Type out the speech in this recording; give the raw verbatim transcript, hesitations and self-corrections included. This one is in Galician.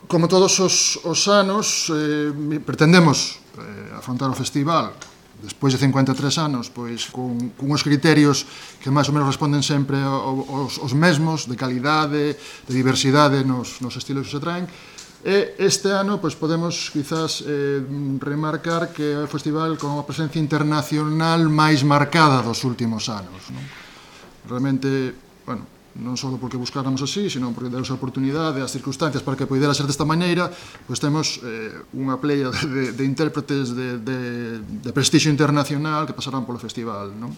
como todos os, os anos, eh, pretendemos eh, afrontar o festival despois de cincuenta e tres anos, pois con, con os criterios que máis ou menos responden sempre aos, aos mesmos, de calidade, de diversidade nos, nos estilos que se traen. E este ano pois, podemos quizás eh, remarcar que é o festival con a presencia internacional máis marcada dos últimos anos, non? Realmente, bueno, non só porque buscáramos así, sino porque deus a oportunidade, as circunstancias para que poidera ser desta maneira, pois temos eh, unha playa de, de intérpretes de, de, de prestixio internacional que pasarán polo festival, non?